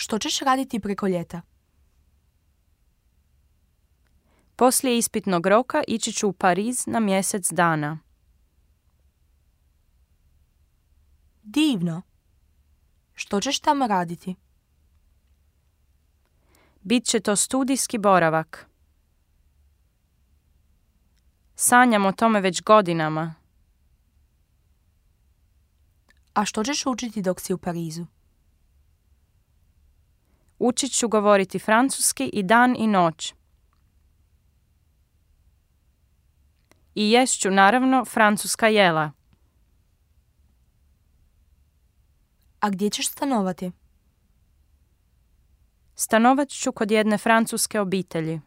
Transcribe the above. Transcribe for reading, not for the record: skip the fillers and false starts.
Što ćeš raditi preko ljeta? Poslije ispitnog roka ići ću u Pariz na mjesec dana. Divno. Što ćeš tamo raditi? Bit će to studijski boravak. Sanjam o tome već godinama. A što ćeš učiti dok si u Parizu? Učit ću govoriti francuski i dan i noć. I jest ću naravno francuska jela. A gdje ćeš stanovati? Stanovat ću kod jedne francuske obitelji.